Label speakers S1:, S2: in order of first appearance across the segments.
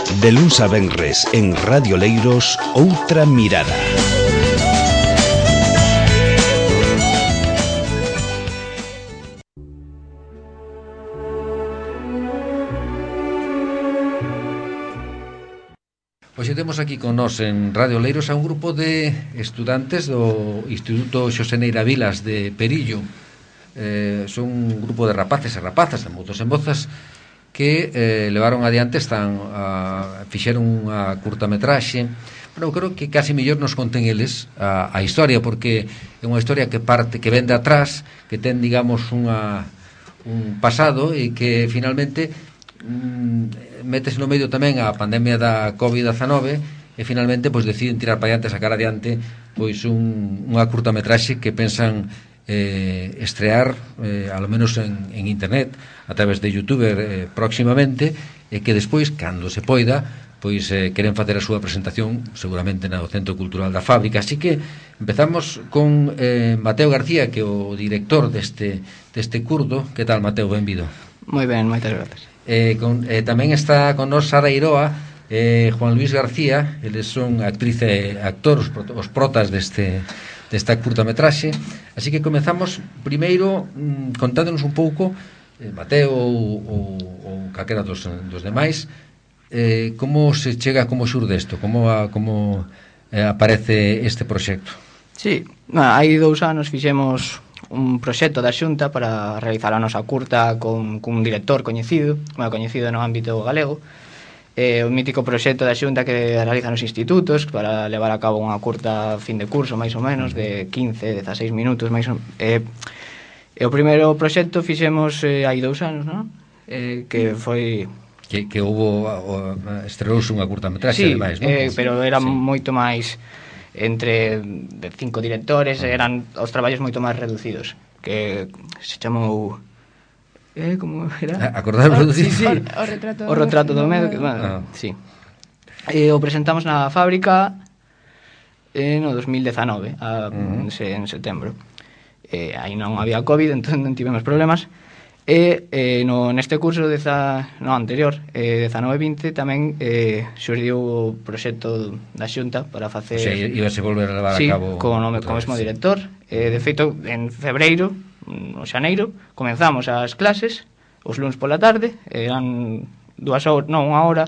S1: De luns a venres en Radio Leiros, Outra Mirada.
S2: Hoxe temos aquí con nós en Radio Leiros a un grupo de estudantes do Instituto Xosé Neira Vilas de Perillo. Son un grupo de rapaces e rapazas, de mozos e mozas, que levaron adiante, fixeron unha curtametraxe. Bueno, creo que casi mellor nos conten eles a historia, porque é unha historia que parte, que vende atrás, que ten, digamos, un pasado e que finalmente metes no medio tamén a pandemia da COVID-19 e finalmente pois deciden tirar para adiante, sacar adiante pois unha curtametraxe que pensan estrear ao menos en internet a través de YouTube próximamente, e que despois, cando se poida, pois queren facer a súa presentación seguramente no Centro Cultural da Fábrica. Así que empezamos con Mateo García, que é o director deste curdo. Que tal, Mateo? Benvido.
S3: Moi ben, moitas grazas.
S2: Tamén está con nós Sara Iroa, Juan Luis García. Eles son actriz e actor, os protas desta curtametraxe. Así que comezamos primeiro contándonos un pouco, Mateo ou calquera dos demais, como se chega, como xurde isto, como aparece este proxecto.
S3: Sí, hai 2 anos fixemos un proxecto da Xunta para realizar a nosa curta cun director coñecido no ámbito galego, o mítico proxecto da Xunta que realiza nos institutos para levar a cabo unha curta fin de curso, máis ou menos, de 15-16 minutos, máis ou menos. O primeiro proxecto fixemos hai 2 anos, non? Que foi...
S2: Que houve, estreouse unha curtametraxe,
S3: sí,
S2: ademais, non?
S3: Pero era moito máis... entre 5 directores, eran os traballos moito máis reducidos, que se chamou como era?
S2: Acordaron reducir?
S3: Sí. O retrato do medo, que, bueno, sí. O presentamos na fábrica no 2019, en setembro. Aí non había COVID, entón non tivemos problemas. Neste curso anterior, 19-20, tamén xurdiu o proxecto da Xunta para facer...
S2: O sea, íbase volver a levar a cabo...
S3: Sí, co mesmo director. De feito, en febreiro, o xaneiro, comenzamos as clases, os luns pola tarde, eran 2 horas, non, 1 hora,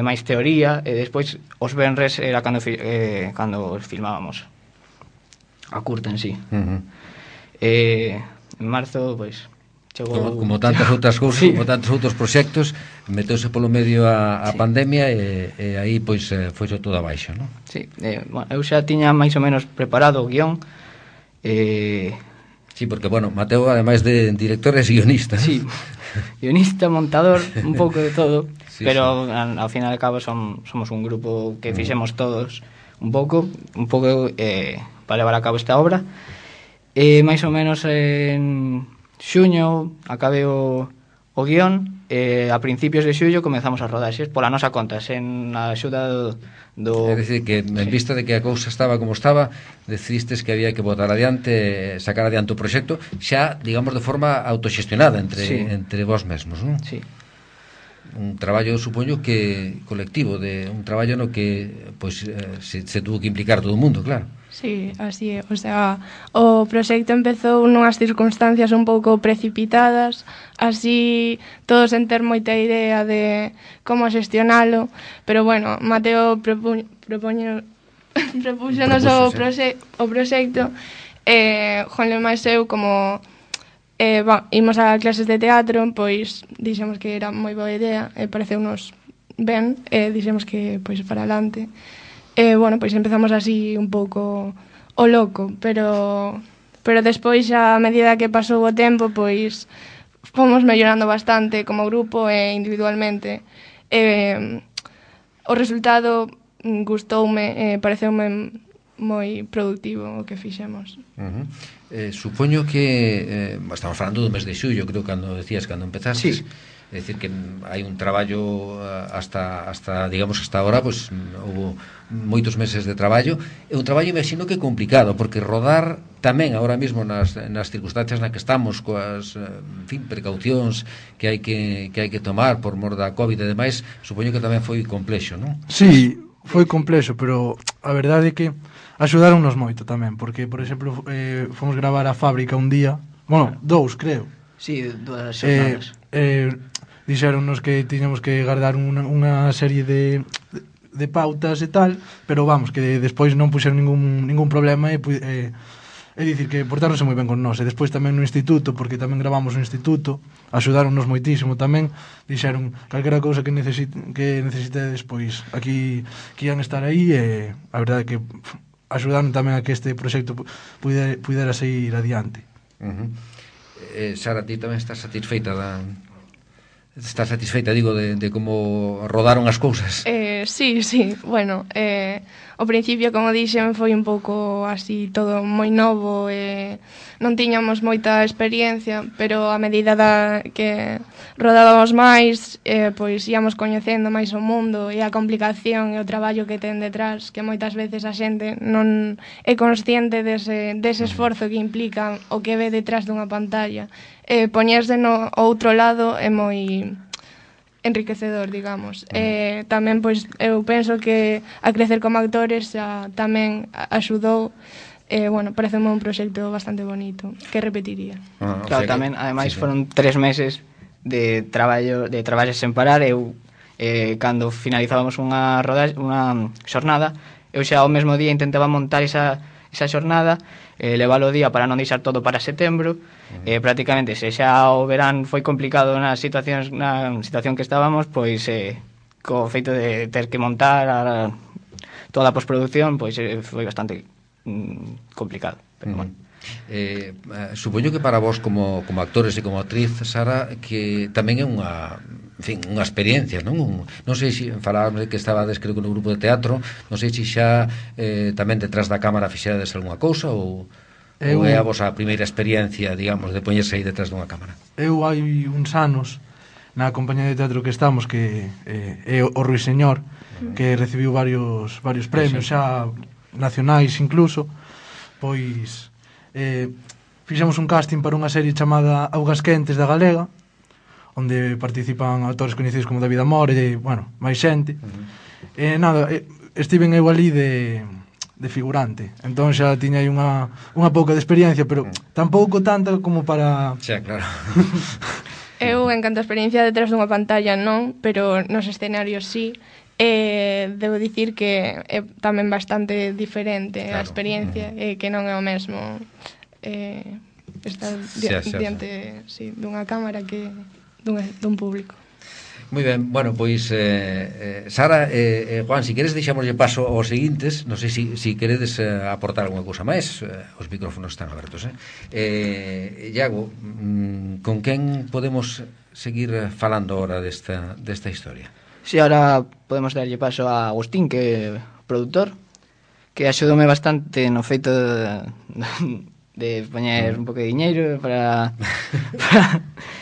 S3: máis teoría, e despois os venres era cando filmábamos a curta en sí. En marzo, pois, chegou...
S2: Como tantas outras cousas, sí. Como tantos outros proxectos, meteuse polo medio a
S3: sí.
S2: Pandemia e aí, pois, foise todo abaixo, non?
S3: Sí, bueno, eu xa tiña máis ou menos preparado o guión.
S2: Sí, porque, bueno, Mateo, ademais de director, é guionista.
S3: Sí, guionista, montador, un pouco de todo,
S2: sí,
S3: pero sí. Ao final de cabo somos un grupo que fixemos todos un pouco para levar a cabo esta obra. Máis ou menos en xuño acabei o guión, a principios de xullo comezamos as rodaxes pola nosa conta, sen a axuda do...
S2: É dicir, que en vista de que a cousa estaba como estaba, decidistes que había que botar adiante, sacar adiante o proxecto, xa, digamos, de forma autoxestionada entre vós mesmos, non?
S3: Sí.
S2: Un traballo, supoño que colectivo, un traballo no que pois se tuvo que implicar todo o mundo, claro.
S4: Sí, así é, o sea, o proxecto empezou nunhas circunstancias un pouco precipitadas, así todos sen ter moita idea de como xestionalo, pero bueno, Mateo propúxonos o proxecto, Juan máis eu como imos a clases de teatro, pois dixemos que era moi boa idea, pareceunos ben, dixemos que pois para adelante. Bueno, pois empezamos así un pouco o loco, pero despois a medida que pasou o tempo, pois fomos mellorando bastante como grupo e individualmente. O resultado gustoume, pareceume moi productivo o que fixemos.
S2: Supoño que estamos falando do mes de xullo, creo, cando decías, cando empezastes.
S3: Sí.
S2: É dicir que hai un traballo hasta digamos, hasta ahora, pues houve moitos meses de traballo. É un traballo, imagino, que complicado, porque rodar tamén agora mesmo nas circunstancias na que estamos, coas, en fin, precaucións que hai que tomar por mor da COVID e demais, supoño que tamén foi complexo, non?
S5: Sí, foi complexo, pero a verdade é que axudáronnos moito tamén, porque, por exemplo, fomos gravar a fábrica un día, bueno, 2, creo.
S3: Sí, 2 xornadas.
S5: Dixéronnos que tiñamos que guardar unha serie de pautas e tal, pero vamos, que despois non puxeron ningún problema e dicir que portáronse moi ben con nós. E despois tamén no instituto, porque tamén gravamos no instituto, axudáronnos moitísimo tamén, dixeron calquera cousa que necesitedes, pois aquí que ian estar aí, e a verdade é que axudaron tamén a que este proxecto pudera seguir adiante.
S2: Sara, ti tamén estás satisfeita digo, de como rodaron as cousas?
S4: Sí, bueno, ao principio, como dixen, foi un pouco así todo moi novo, non tiñamos moita experiencia, pero a medida que rodábamos máis, pois íamos coñecendo máis o mundo e a complicación e o traballo que ten detrás, que moitas veces a xente non é consciente dese esforzo que implica o que ve detrás dunha pantalla. Poñerse no outro lado é moi enriquecedor, digamos. Tamén, pois, eu penso que a crecer como actores tamén axudou. Bueno, parece un proxecto bastante bonito, que repetiría.
S3: Claro, tamén, ademais, foron 3 meses de traballo sen parar. Eu, cando finalizábamos unha xornada, eu xa ao mesmo día intentaba montar esa xornada, leválo o día para non deixar todo para setembro. Prácticamente, se xa o verán foi complicado na situación que estábamos, pois co feito de ter que montar toda a postproducción, pois foi bastante complicado, pero bueno.
S2: Supoño que para vos como actores e como actriz, Sara, que tamén é unha experiencia, non? Non sei se falábamos de que estabades, creo que no grupo de teatro, non sei se xa tamén detrás da cámara fixerades algunha cousa ou é a vosa primeira experiencia, digamos, de poñerse aí detrás dunha cámara?
S5: Eu hai uns anos na compañía de teatro que estamos, que é o Ruiseñor, que recibiu varios premios xa nacionais incluso, pois fixemos un casting para unha serie chamada Augas Quentes da Galega, onde participan autores coñecidos como David Amor e, bueno, máis xente. Estiven eu ali de figurante, entón xa tiña aí unha pouca de experiencia, pero tampouco tanta como para...
S2: Xa, claro.
S4: Eu, en canto a experiencia detrás dunha pantalla, non, pero nos escenarios sí. Debo dicir que é tamén bastante diferente, claro, a experiencia, que non é o mesmo estar diante dunha cámara que dun público.
S2: Moi ben, bueno, pois Sara e Juan, si queres deixámoslle paso aos seguintes. Non sei se queredes aportar alguna cousa máis. Os micrófonos están abertos. Iago, con quen podemos seguir falando ahora desta historia?
S3: Si, ahora podemos darlle paso a Agustín, que é produtor, que axudoume bastante no feito de poñer un pouco de diñeiro para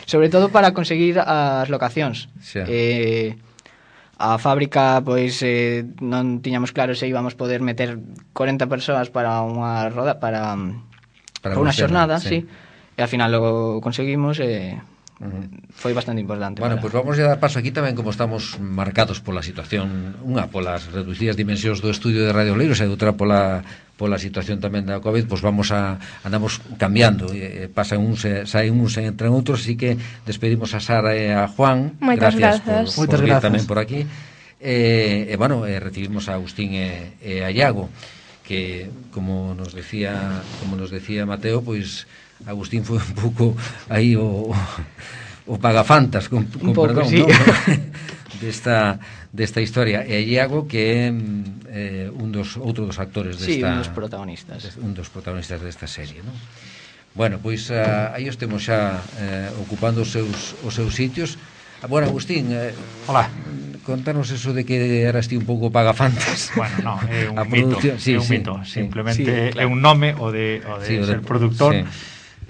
S3: sobre todo para conseguir as locacións. A fábrica, pois non tiñamos claro se íbamos poder meter 40 persoas para unha roda para unha xornada, sí. E ao final lo conseguimos e foi bastante importante.
S2: Bueno, pois vamos a dar paso aquí tamén, como estamos marcados pola situación, unha polas reducidas dimensións do estudio de Radio Oleiros e outra pola situación tamén da COVID, pois andamos cambiando, pasan uns, saen uns e entran outros, así que despedimos a Sara e a Juan.
S4: Moitas grazas
S2: por vir tamén por aquí. Bueno, recibimos a Agustín e a Iago, que como nos decía Mateo, pois Agustín foi un pouco aí o pagafantas con perdón,
S3: sí.
S2: ¿no? desta historia. E Iago, que é outro dos actores desta,
S3: un dos protagonistas
S2: desta serie, ¿no? Bueno, pois aí os temos xa ocupando os seus sitios. Bueno, Agustín,
S5: hola.
S2: contanos eso de que eras ti un pouco pagafantas.
S6: Bueno, no, é un
S2: A
S6: mito,
S2: producción, sí,
S6: é un
S2: sí,
S6: mito.
S2: sí.
S6: Simplemente
S3: Sí, claro.
S6: é un nome o de
S2: Sí, o
S6: ser
S2: de-
S6: produtor.
S2: sí.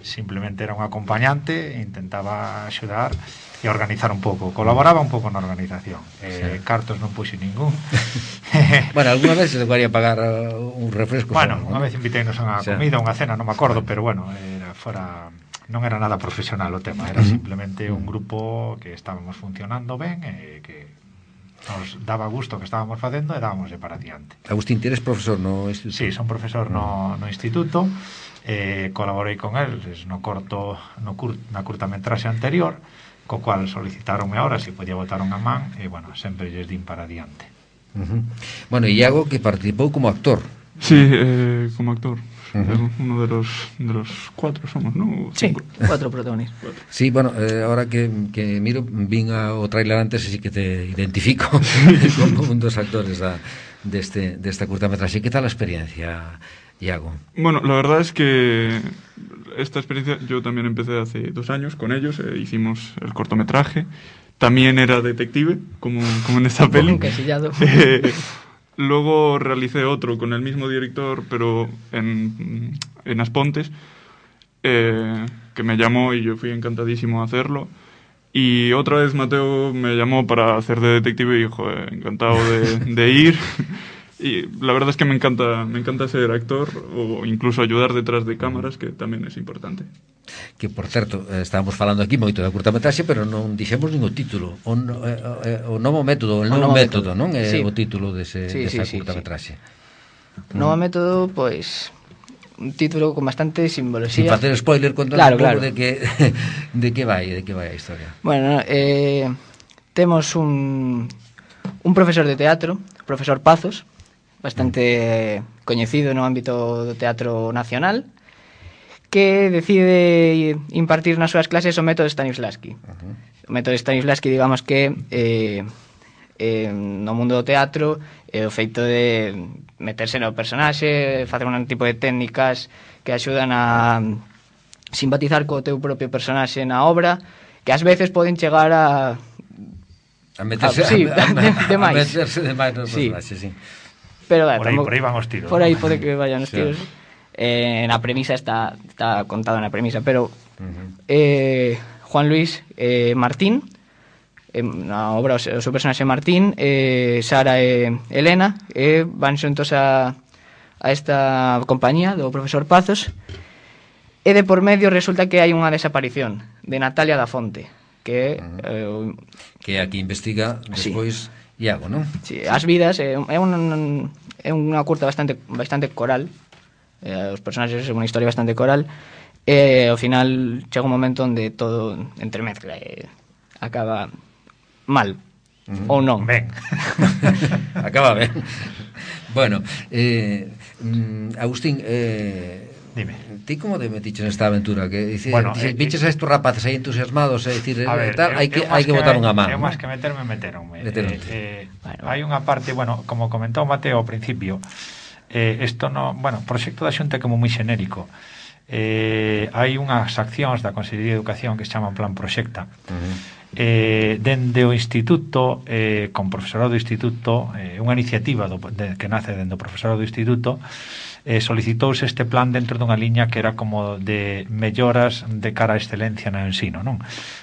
S6: Simplemente era un acompañante, intentaba axudar e organizar un pouco. Colaboraba un pouco na organización. Cartos non puxe ningún.
S2: Bueno, alguna vez se debería pagar un refresco.
S6: Bueno,
S2: só,
S6: unha
S2: ¿no?
S6: vez inviteinos a unha
S2: O sea,
S6: comida, unha cena, non me acordo, pero bueno, non era nada profesional o tema, era simplemente un grupo que estábamos funcionando ben e que nos daba gusto que estábamos facendo e dábamos para adiante.
S2: Agustín, ti eres profesor no instituto?
S6: Sí, son profesor no instituto, colaborei con eles na curtametraxe anterior, co cual solicitaronme ahora se podía botar unha man e, bueno, sempre lles din para adiante.
S2: Bueno, e Iago, que participou como actor.
S7: Sí, como actor. Uno de los 4 somos, ¿no?
S3: Sí,
S7: 5.
S3: 4 protagonistas.
S2: Sí, bueno, ahora que miro, vin o trailer antes e sí que te identifico como un dos actores desta curtametraxe. Que tal a experiencia, Iago?
S7: Bueno, la verdad es que esta experiencia yo también empecé hace 2 años con ellos, hicimos el cortometraje, también era detective, como en esta peli.
S3: Encasillado.
S7: Luego realicé otro con el mismo director, pero en Aspontes, que me llamó y yo fui encantadísimo a hacerlo. Y otra vez Mateo me llamó para hacer de detective y dijo, encantado de ir. Y la verdad es que me encanta ser actor o incluso ayudar detrás de cámaras, que tamén é importante.
S2: Que, por certo, estábamos falando aquí moito da curtametraxe, pero non dixemos nin o título. O novo método, o novo método, non? É
S3: Sí.
S2: o título desa
S3: Sí.
S2: curtametraxe.
S3: Novo método, pois un título con bastante
S2: Sin
S3: simbología.
S2: facer spoiler, contanos
S3: Claro,
S2: un pouco
S3: claro.
S2: de que vai a historia.
S3: Bueno, temos un profesor de teatro, o profesor Pazos, bastante coñecido no ámbito do teatro nacional, que decide impartir nas súas clases o método Stanislavski. O método Stanislavski, digamos que no mundo do teatro o feito de meterse no personaxe, facer un tipo de técnicas que axudan a simpatizar co teu propio personaxe na obra, que ás veces poden chegar a
S2: meterse
S3: sí,
S2: a
S3: demais.
S2: meterse demais no
S3: Sí.
S2: personaxe, sí.
S3: Pero
S6: Por aí van os tiros.
S3: Por
S6: ¿no?
S3: aí pode que vayan os
S2: Sí.
S3: tiros. Na premisa está contado na premisa, pero Juan Luis Martín, na obra o seu personaxe Martín, Sara e Elena, van xuntos a esta compañía do profesor Pazos, e de por medio resulta que hai unha desaparición de Natalia da Fonte, que
S2: Que aquí investiga despois Iago, non?
S3: sí, as vidas é unha curta bastante coral, os personaxes é unha historia bastante coral, e ao final chega un momento onde todo entremezcla e acaba mal ou non.
S6: Ben.
S2: Acaba ben. Bueno, Agustín,
S6: Dime.
S2: ti como te metiches nesta aventura? Que
S6: Bueno,
S2: viches a estos rapaces aí entusiasmados, é dicir,
S6: A ver,
S2: tal, hai que botar unha man.
S6: Eu máis que meteronme.
S3: Bueno.
S6: Hai unha parte, bueno, como comentou Mateo ao principio, isto no, bueno, o proxecto da Xunta é como moi xenérico. Hai unhas accións da Consellería de Educación que se chaman Plan Proxecta. Dende o instituto, con profesorado do instituto, unha iniciativa que nace dende o profesorado do instituto, solicitouse este plan dentro dunha liña que era como de melloras de cara á excelencia no ensino, non?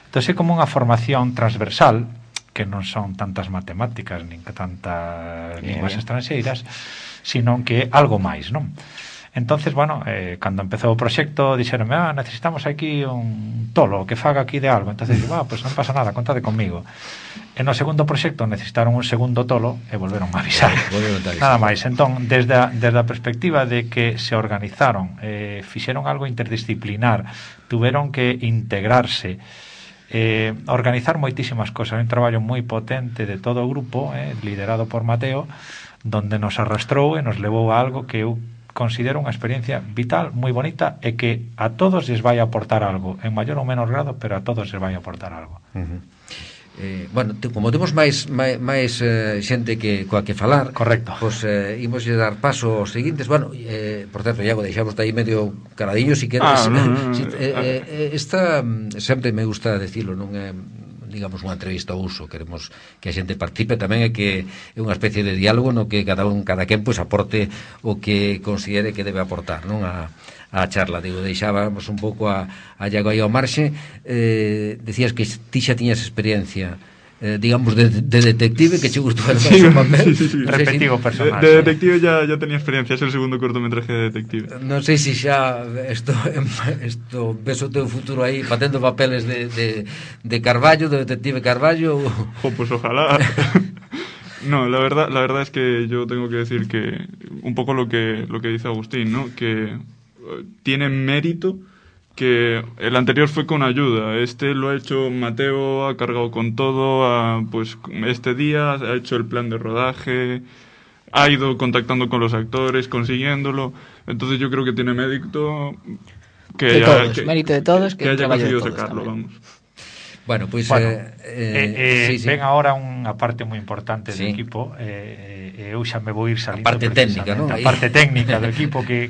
S6: Entón é como unha formación transversal, que non son tantas matemáticas nin que tantas linguas estranxeiras, sino que é algo máis, non? Entonces, bueno, cando empezou o proxecto dixeronme, necesitamos aquí un tolo que faga aquí de algo. Entonces, pues non pasa nada, contade conmigo. E no segundo proxecto necesitaron un segundo tolo e volveron a avisar. Nada máis. Entón, desde a perspectiva de que se organizaron, fixeron algo interdisciplinar, tuveron que integrarse, organizar moitísimas cosas, un traballo moi potente de todo o grupo, liderado por Mateo, donde nos arrastrou e nos levou a algo que eu considero unha experiencia vital, moi bonita, e que a todos les vai aportar algo, en maior ou menor grado, pero a todos les vai aportar algo.
S2: Bueno, como temos máis xente coa que falar,
S6: correcto,
S2: pois imos dar paso aos seguintes. Bueno, por certo, Iago, deixamos aí medio caradillo, si queres. Esta sempre me gusta decirlo, non digamos, unha entrevista ao uso, queremos que a xente participe tamén e que é unha especie de diálogo no que cada quen pois aporte o que considere que debe aportar, non, a charla. Digo, deixábamos un pouco a Iago aí ao marxe. Decías que ti xa tiñas experiencia, digamos, de detective, que che gustou el papel.
S7: Sí.
S6: Repetido personaje.
S7: De detective ya tenía experiencia, es el segundo cortometraje de detective.
S2: Non sei se xa isto ves o teu futuro aí facendo papeles de Carballo, de detective Carballo.
S7: Pues ojalá. No, la verdad es que yo tengo que decir que un poco lo que dice Agustín, ¿no? Que tiene mérito que el anterior fue con ayuda. Este lo ha hecho Mateo, ha cargado con todo, pues este día ha hecho el plan de rodaje, ha ido contactando con los actores, consiguiéndolo. Entonces yo creo que tiene mérito
S3: mérito de todos, que
S7: haya conseguido
S3: todos
S7: sacarlo,
S3: tamén.
S7: vamos.
S2: Bueno, pois
S6: sí. Ven agora unha parte moi importante do equipo, eu xa me vou ir salindo.
S2: A parte técnica, non?
S6: A parte técnica do equipo que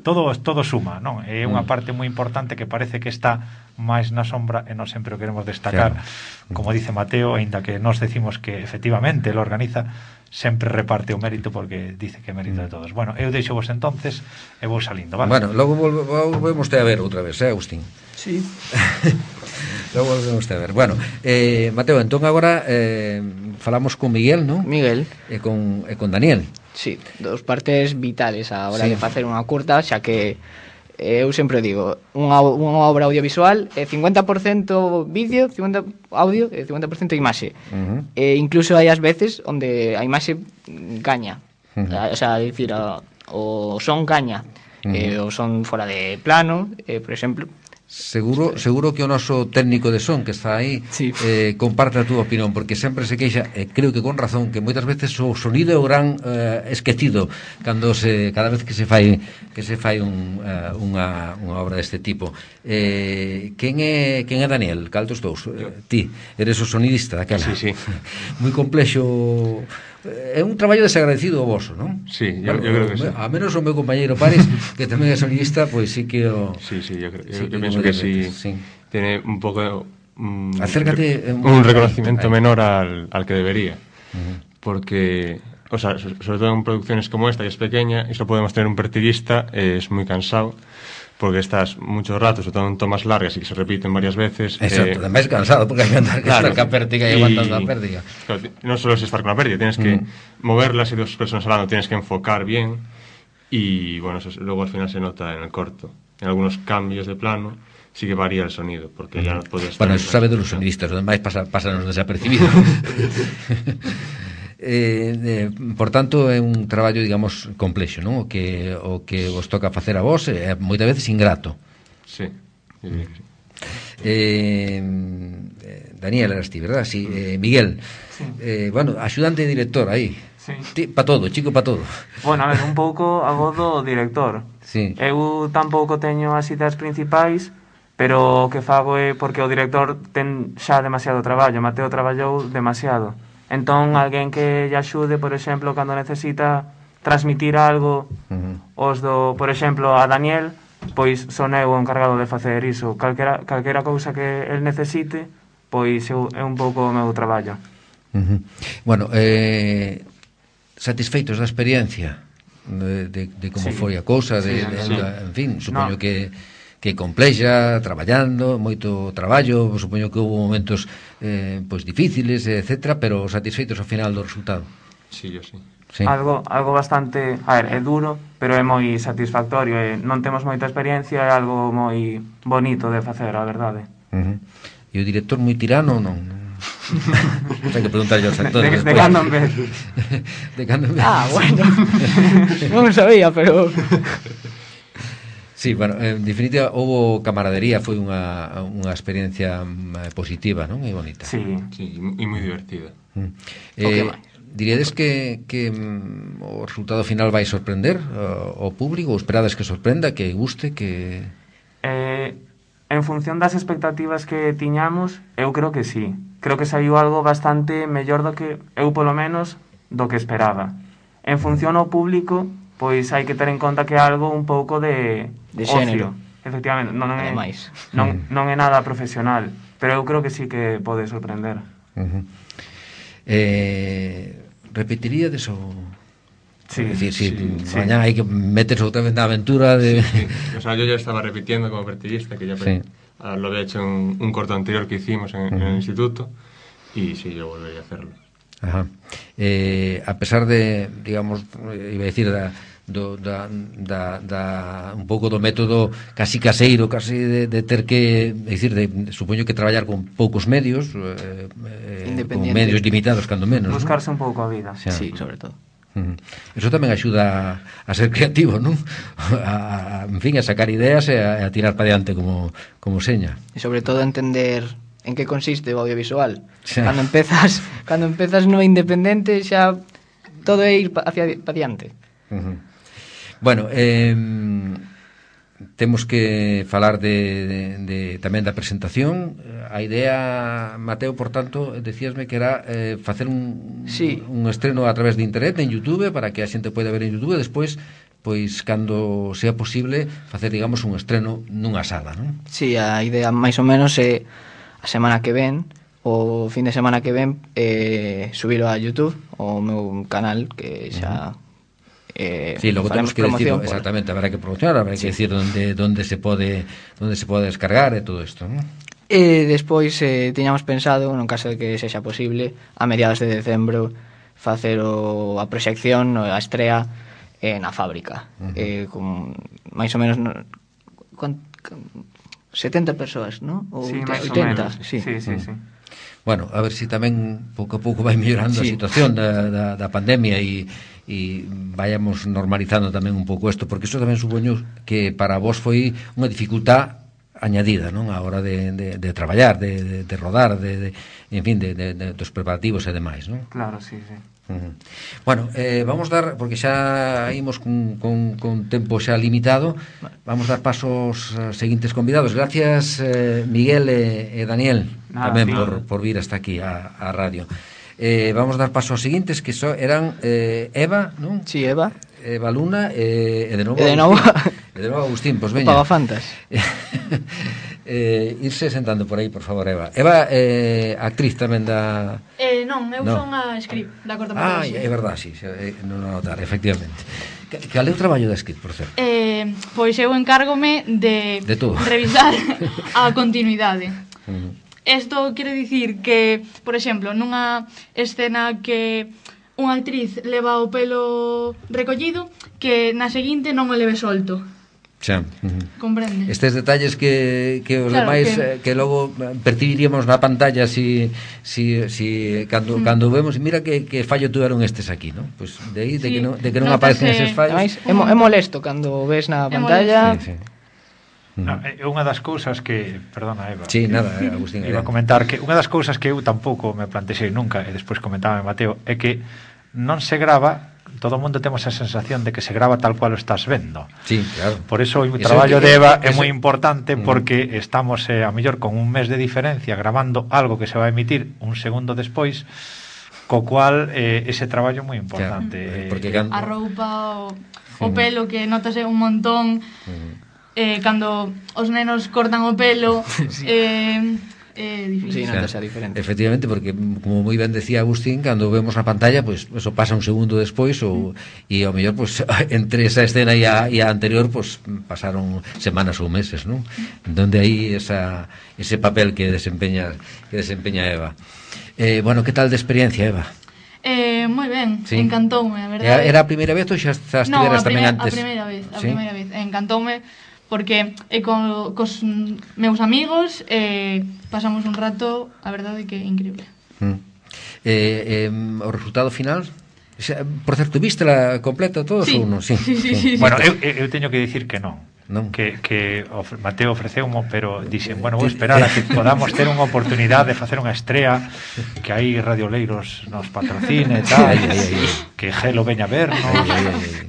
S6: todo suma, non? É unha parte moi importante que parece que está máis na sombra e non sempre o queremos destacar. Claro. Como dice Mateo, aínda que nos decimos que efectivamente lo organiza, sempre reparte o mérito porque dice que é mérito de todos. Bueno, eu deixo vos entonces e vou salindo, vale?
S2: Bueno, logo volvemos a ver outra vez, Agustín?
S3: Sí.
S2: Logo volvemos a ver. Bueno, Mateo, entón agora falamos con Miguel, non?
S3: Miguel.
S2: E con Daniel.
S3: Sí, dos partes vitales a hora de facer unha curta, xa que eu sempre digo, unha obra audiovisual é 50% vídeo, 50% audio e 50% imaxe. E incluso hai as veces onde a imaxe gaña. O sea, dicir, o son gaña. O son fora de plano, por exemplo.
S2: Seguro que o noso técnico de son que está aí comparte a túa opinión, porque sempre se queixa, e creo que con razón, que moitas veces o sonido é o gran esquecido cada vez que se fai unha obra deste tipo. Quen é Daniel? Cal dos dous? Ti eres o sonidista daquela.
S8: Sí.
S2: Moi complexo. É un traballo desagradecido o voso, non?
S8: Sí, yo creo que sí.
S2: A menos o meu compañeiro Pares, que tamén é sonidista, pois sí que o...
S8: Sí, yo pienso que sí. Tiene un pouco...
S2: Acércate
S8: un reconocimiento menor al que debería. Porque, o sea, sobre todo en producciones como esta, que es pequeña, y solo podemos tener un partidista, es muy cansado, porque estás muchos ratos, sobre todo en tomas largas y que se repiten varias veces.
S2: Exacto, además cansado, porque hay que andar estar con la pértiga y aguantando la pérdida.
S8: Claro, no solo es estar con la pérdida, tienes que moverlas y dos personas hablando, tienes que enfocar bien y bueno, eso luego al final se nota en el corto. En algunos cambios de plano sí que varía el sonido, porque ya no puedes...
S2: Bueno, eso sabe de los sonidistas, los demás pasan desapercibidos. Por tanto é un traballo, digamos, complexo, non? O que vos toca facer a vos é moitas veces ingrato.
S8: Sí.
S2: Daniel eras ti, verdad? Sí. Miguel, bueno, axudante de director aí.
S9: Sí.
S2: Pa todo, chico pa todo.
S9: Bueno, a ver, un pouco a voz do director.
S2: Sí.
S9: Eu tampouco teño as ideas principais, pero o que fago é porque o director ten xa demasiado traballo, Mateo traballou demasiado. Entón, alguén que lle axude, por exemplo, cando necesita transmitir algo, por exemplo, a Daniel, pois son eu o encargado de facer iso. Calquera cousa que el necesite, pois é un pouco o meu traballo.
S2: Bueno, satisfeitos da experiencia de como foi a cousa, en fin, supoño que complexa, traballando, moito traballo, supoño que houve momentos pois difíciles, etcétera, pero satisfeitos ao final do resultado.
S8: Sí, yo sí.
S9: Algo bastante, a ver, é duro, pero é moi satisfactorio, non temos moita experiencia, é algo moi bonito de facer, a verdade.
S2: E o director moi tirano, non? Hai que preguntarlle aos actores
S9: de cando en vez.
S2: De cando en vez.
S3: Bueno, non sabía, pero...
S2: Sí, bueno, en definitiva, houve camaradería, foi unha experiencia positiva, non? E bonita.
S8: Sí, e moi divertida.
S2: Diríades que o resultado final vai sorprender ao público, ou esperades que sorprenda, que guste, que...
S9: En función das expectativas que tiñamos, eu creo que sí. Creo que saiu algo bastante mellor do que eu, polo menos, do que esperaba. En función ao público, pois hai que ter en conta que é algo un pouco de
S3: xénero.
S9: Efectivamente, non é
S3: Ademais.
S9: non é nada profesional. pero eu creo que sí que pode sorprender.
S2: Repetiríades o...
S9: Sí,
S2: Es decir, si
S9: sí.
S2: mañana hai que meterse outra vez na aventura de...
S8: Sí. O sea, yo ya estaba repitiendo como pertiguista, que ya
S2: Sí.
S8: lo había hecho en un corto anterior que hicimos en el instituto, y sí, yo volvería a hacerlo.
S2: Ajá. A pesar de, digamos, iba a decir un pouco do método casi caseiro, casi de ter que, é dicir, supoño que traballar con poucos medios, con medios limitados cando menos,
S9: Buscarse un pouco a vida.
S2: Xa.
S3: Sí, sobre todo.
S2: Eso tamén axuda a ser creativo, non? En fin, a sacar ideas e a tirar para diante como seña.
S3: E sobre todo entender en que consiste o audiovisual.
S2: Xa.
S3: Cando empezas no independente xa todo é ir para diante.
S2: Bueno, temos que falar tamén da presentación. A idea, Mateo, por tanto, decíasme que era facer un estreno a través de internet en YouTube, para que a xente poida ver en YouTube, e despois, pois, cando sea posible, facer, digamos, un estreno nunha sala, non?
S3: Sí, a idea máis ou menos é a semana que ven, o fin de semana que ven, subilo a YouTube, o meu canal, que xa...
S2: Sí, logo temos que decir exactamente, habrá que promocionar, habrá que decir donde se pode descargar e todo isto, non?
S3: E despois tiñamos pensado, no caso de que sexa posible, a mediados de decembro facer a proxección, a estrea na fábrica, con máis ou menos 70 persoas, non? Ou
S9: Sí, máis ou
S3: 80,
S9: menos.
S3: sí.
S9: Sí.
S2: Bueno, a ver si tamén pouco a pouco vai mellorando a situación da pandemia e vayamos normalizando tamén un pouco isto, porque iso tamén supoño que para vos foi unha dificultad añadida, non? A hora de traballar, de rodar, en fin, dos preparativos e demais, non?
S9: Claro, sí.
S2: Bueno, vamos dar, porque xa imos con tempo xa limitado, vamos dar paso aos seguintes convidados. Gracias, Miguel e Daniel, tamén por vir hasta aquí a radio. Vamos dar paso aos seguintes, que eran Eva, non?
S3: Sí, Eva.
S2: Eva Luna e de novo Agustín, pois veña.
S3: Pagafantas.
S2: Irse sentando por aí, por favor, Eva. Eva actriz tamén da...
S10: Non, eu son a script da cortometraxe.
S2: É verdad, sí, non a notar, efectivamente. Cal é o traballo da script, por certo?
S10: Pois eu encárgome de revisar a continuidade. Isto quere dicir que, por exemplo, nunha escena que unha actriz leva o pelo recollido, que na seguinte non o leve solto.
S2: Xa.
S10: Comprende?
S2: Estes detalles que os demais que logo percibiríamos na pantalla cando vemos, mira que fallo tuveron estes aquí, non? Pois de aí, de que non aparecen eses fallos.
S3: É molesto cando ves na pantalla.
S6: É unha das cousas que, perdona, Eva.
S2: Sí, nada, Agustín.
S6: Iba a comentar que unha das cousas que eu tampouco me plantexei nunca, e despois comentaba Mateo, é que non se grava, todo o mundo temos a sensación de que se grava tal cual o estás vendo.
S2: Sí, claro.
S6: Por eso o traballo de Eva é moi importante, porque estamos a mellor con un mes de diferencia gravando algo que se vai emitir un segundo despois, co cual ese traballo é moi importante.
S10: Porque a roupa, o pelo, que notase un montón, cando os nenos cortan o pelo, é difícil.
S3: Sí, notase a diferencia.
S2: Efectivamente, porque como moi ben decía Agustín, cando vemos na pantalla, pues eso pasa un segundo despois e ao mellor pues entre esa escena e a anterior pues pasaron semanas ou meses, ¿no? Donde aí ese papel que desempeña Eva. Bueno, que tal de experiencia, Eva?
S10: Moi ben, encantoume, a verdade.
S2: Era a primeira vez ou xa estiveras tamén antes?
S10: A primeira vez, encantoume, porque cos meus amigos pasamos un rato, a verdade que increíble.
S2: O resultado final, por certo, vístela completa todos ou non?
S10: Sí.
S6: Bueno, eu teño que dicir que non. Que Mateo ofreceumo, pero dixen, bueno, vou esperar a que podamos ter unha oportunidade de facer unha estrea, que aí Radio Leiros nos patrocine e tal, que Gelo veña a ver,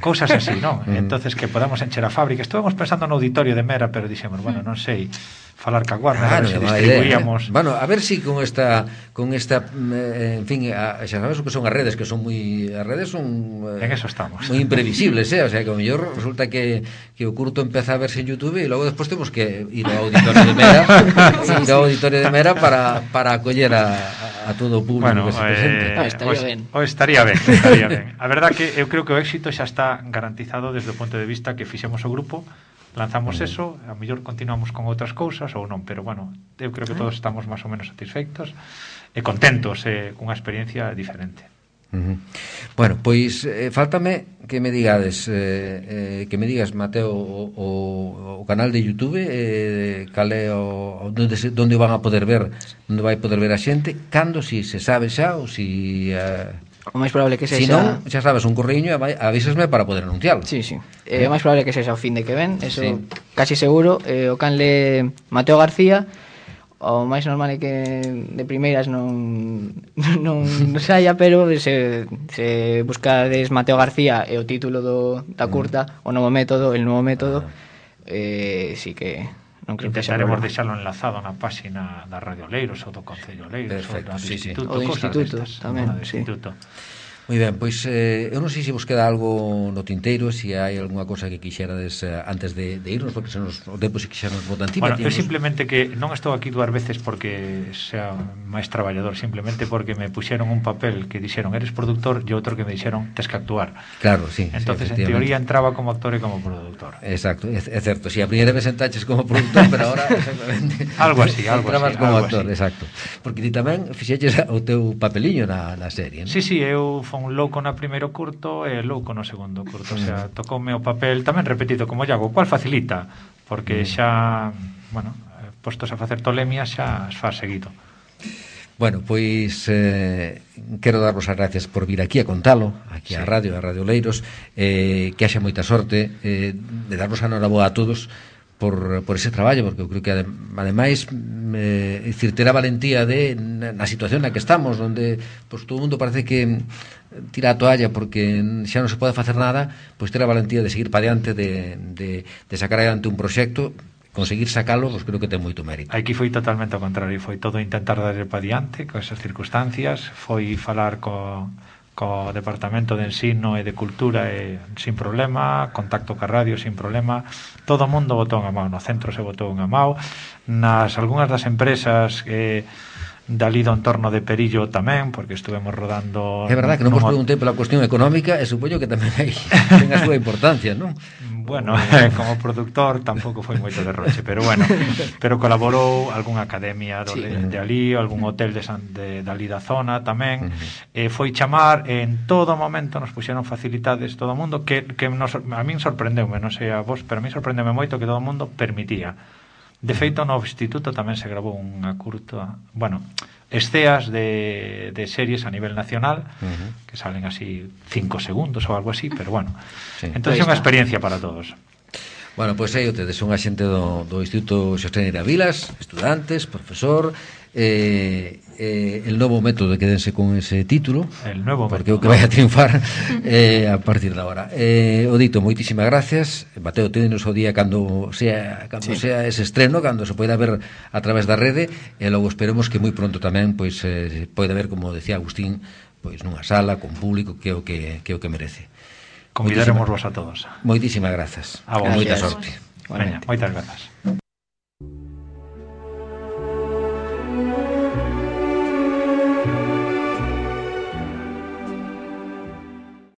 S6: cousas así, non? Entonces que podamos encher a fábrica. Estuvemos pensando no auditorio de Mera, pero dixemos, bueno, non sei, falar ca Warner, a ver se distribuíamos.
S2: Bueno, a ver si con esta en fin, xa sabes o que son as redes, as redes son
S6: en eso estamos.
S2: Moi imprevisibles, o sea, que ao mellor resulta que o curto empeza a verse en YouTube e logo despois temos que ir ao auditorio de Mera, para acoller a todo o público que se presente.
S6: Estaría ben. A verdad que eu creo que o éxito xa está garantizado desde o punto de vista que fixemos o grupo, lanzamos eso, a mellor continuamos con outras cousas ou non, pero bueno, eu creo que todos estamos máis ou menos satisfeitos e contentos, cunha experiencia diferente.
S2: Bueno, pois faltame que me digades Mateo, o canal de YouTube, cal é onde van a poder ver, onde vai poder ver a xente, cando, si se sabe xa ou si
S3: o máis probable que sexa...
S2: Se non, xa sabes, un correiño, avísasme para poder anunciarlo.
S3: Sí. O máis probable que sexa o fin de que ven, eso casi seguro. O canle Mateo García, o máis normal é que de primeiras non saia, pero se buscades Mateo García e o título da curta, el novo método, sí que...
S6: Intentaremos deixalo enlazado na páxina da Radio Leiros ou do Concello Leiros ou do Instituto
S3: tamén,
S6: sí.
S2: Moi ben, pois eu non sei se vos queda algo no tinteiro, se hai algunha cosa que quixerades antes de irnos, porque o tempo se quixernos botan encima.
S6: Bueno, eu simplemente que non estou aquí 2 veces porque sea máis traballador, simplemente porque me puxeron un papel que dixeron eres productor e outro que me dixeron tes que actuar.
S2: Claro, sí.
S6: Entonces, en teoría, entraba como actor e como productor.
S2: Exacto, é certo. Si a primeira vez entraches como productor, pero ahora exactamente
S6: algo así.
S2: Entrabas como actor, exacto. Porque ti tamén fixeches o teu papeliño na serie, non?
S6: Sí, eu fui un louco na primeiro curto e louco no segundo curto, o sea, tocoume o papel tamén repetido como Iago, cual facilita, porque xa, bueno, postos a facer tolemia xa as faz seguido.
S2: Bueno, pois quero darvos as gracias por vir aquí a contalo, aquí a Radio Leiros, que haxa moita sorte, de darvos a noraboa a todos por ese traballo, porque eu creo que ademais ter a valentía na situación na que estamos, onde pues, todo o mundo parece que tira a toalla porque xa non se pode facer nada, pois ter a valentía de seguir para diante, de sacar adiante un proxecto, conseguir sacalo, pues creo que ten moito mérito.
S6: Aquí foi totalmente ao contrario, foi todo intentar darle para diante con esas circunstancias, foi falar co Departamento de Ensino e de Cultura sin problema, contacto ca radio sin problema, todo o mundo botou unha mão, no centro se botou unha mão, algunhas das empresas dali do entorno de Perillo tamén, porque estuvemos rodando...
S2: É verdad que non vos preguntei pola cuestión económica e supoño que tamén ten a súa importancia, non?
S6: Bueno, como productor tampouco foi moito derroche, pero bueno, pero colaborou algunha academia de ali, algún hotel de ali da zona tamén, foi chamar, en todo momento nos puxeron facilidades todo o mundo, que a min sorprendeume, non sei a vos, pero a min sorprendeume moito que todo o mundo permitía. De feito, no instituto tamén se grabou unha curta, bueno, esceas de series a nivel nacional, que salen así 5 segundos ou algo así, pero bueno, entón é unha experiencia para todos.
S2: Bueno, pois aí o tedes unha xente do Instituto Xosé Neira Vilas, estudantes, profesor, el novo método, quédense con ese título,
S6: el novo
S2: porque é o que vai a triunfar a partir de agora. O dito, moitísimas gracias. Mateo, tedenos o día cando sea ese estreno, cando se poida ver a través da rede, e logo esperemos que moi pronto tamén pois poida ver, como decía Agustín, pois nunha sala con público, que é o que merece.
S6: Convidaremos vos a todos.
S2: Moitísimas grazas.
S6: A vos.
S2: Moita sorte.
S6: Veña, moitas grazas.